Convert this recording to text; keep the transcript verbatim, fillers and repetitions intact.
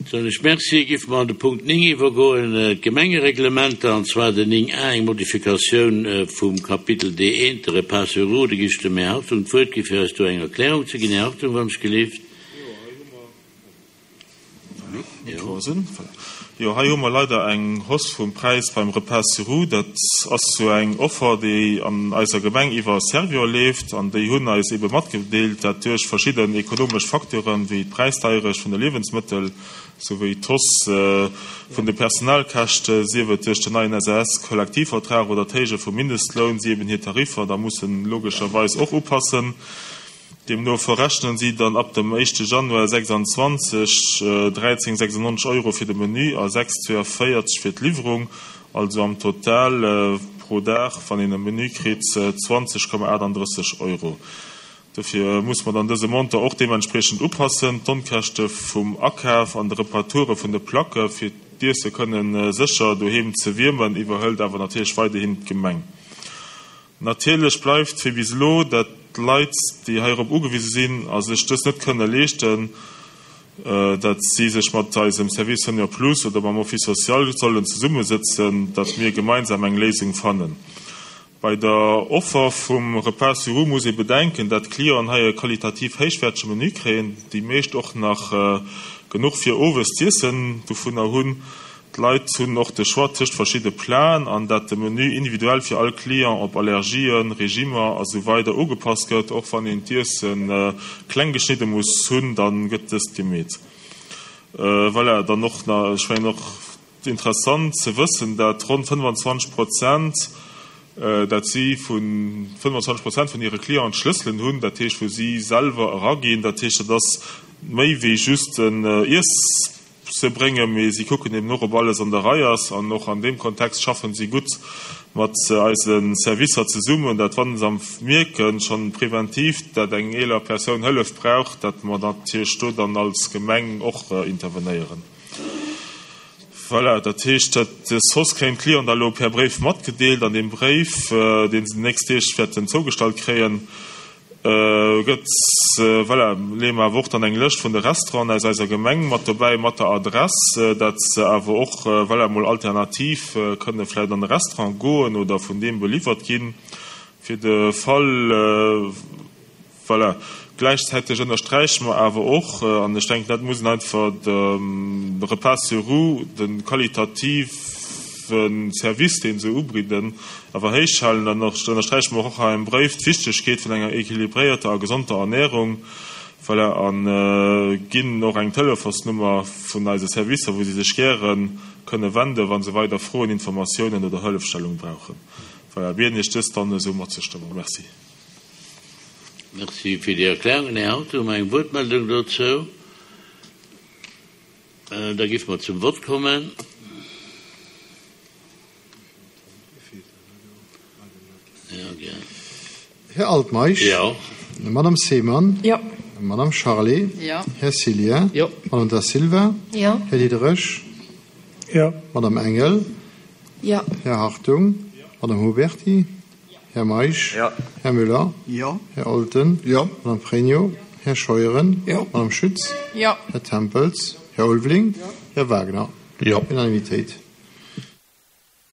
Soen ech Merci. Géife mer an de Punkt néng iwwergoen, d'Gemengereglementer, an zwar den néng a, eng Modifikatioun vum Kapitel D eent, de Repas sur roues. Da gi ech dem Här Hartung d'Wuert gi fir eis do eng Erklärung ze ginn. Här Hartung, wann ech gelift. Jo, hei hu mer leider eng Hausse vum Präis beim Repas sur roues. Dat ass sou eng Offer, déi an eiser Gemeng iwwer Servior leeft. An déi hunn eis ebe matgedeelt, dat duerch verschidden ekonomesch Facteuren, wéi d'Präisdeierecht vun de Liewensmëttel, souwéi d'Hausse vun de Personalkäschte, sief et duerch den neien S A S-Kollektivvertrag oder d'Héije vum Mindestloun, si eben hir Tariffer da mussen logescherweis och upassen. Deemno verrechnen si dann ab dem éischte Januar sechsanzwanzeg dräizéng sechsundneunzeg Euro fir de Menü a sechs zweiundvierzeg fir d'Liwwerung, also am Total pro Dag, wann een e Menü kritt, zwanzeg Komma achtundrësseg Euro. Dofir muss mer dann dëse Montant och deementspriechend upassen. D'Onkäschte vum Akaf an de Reparature vun de Placke fir d'Iesse kënne sécher doheem ze wiermen, iwwerhëlt awer natierlech weiderhin d'Gemeng. Natierlech bleift wéi bis elo, dat d'Leit, déi heirop ugewise sinn a sech dës net kënne leeschten, dat si sech mat eisem Service Senior Plus oder mam Office social sollen zesummesëtzen, dat mir gemeinsam eng Léisung fannen. Bei der Offer vum Repas sur roues muss ee bedenken, dat d'Clienten hei e qualitativ héichwäertege Menü kréien, déi meescht och nach genuch fir owes z'iessen dovunner hunn. D'Leit hunn och de Choix tëscht verschidde Platen an dat de Menü individuell fir all Client op Allergien, Regimer a sou weider ugepasst gëtt. Och wann een d'Iesse kleng geschnidde muss hunn, da gëtt dëst gemeet. Voilà, dann och nach, ech mengen och interessant ze wëssen, dat ronn fënnefanzwanzeg Prozent, dat si vu fënnefanzwanzeg Prozent vun hire Clienten d'Schlësselen hunn, dat heescht wou si selwer eraginn. Dat heescht, dat ass méi wéi just en Iess ze bréngen, mee si kucken eben och, ob alles an der Rei ass. An och an deem Kontext schaffen si gutt mat eise Servicer zesummen, dat wann se mierken, schonn preventiv, dat eng eeler Persoun Hëllef brauch, dat mer natierlech do dann als Gemeng och intervenéieren. Voilà, dat heescht, dat dës Hausse kréien d'Clienten da lo per Bréif matgedeelt. An deem Bréif, dee se déi nächst Deeg wäerten zougestallt kréien, gëtt, voilà, leeë mer awer och dann eng Lëscht vun de Restauranten aus eiser Gemeng mat dobäi, mat der Adress, dat se awer och, voilà, mol alternativ kënne vläicht an e Restaurant goen oder vun deem beliwwert ginn, fir de Fall, voilà. Gläichzäiteg ënnersträiche mer awer och, an ech denken, dat muss een einfach dem Repas sur roues, de qualitative Service, dee se ubidden, awer héichhalen. Dann ënnersträiche mer och hei am Bréif d'Wichtegkeet vun enger équilibréierter a gesonder Ernährung, voilà, a ginn och eng Telefonsnummer vun eise Servicer, wou si sech gäre kënne wenden, wa se weider Froen, Informatiounen oder Hëllefstellung brauchen. Voilà, bieden Iech dëst dann esou matzestëmmen. Merci. Merci fir déi Erklärungen, Här Hartung. Hu mer eng Wuertmeldung dozou? Da géife mer zum Vott kommen. Här Altmeisch. Jo. Madame Seemann. Jo. Madame Charlé. Jo. Här Cillien. Jo. Madame Da Silva. Jo. Här Diderich. Jo. Madame Engel. Jo. Här Hartung. Madame Huberty. Här Meisch. Jo. Här Müller. Jo. Här Olten. Jo. Madame Pregno. Här Scheuren. Jo. Madame Schütz. Jo. Här Tempels. Här Ulveling. Jo. Här Wagner. Jo. Unanimitéit.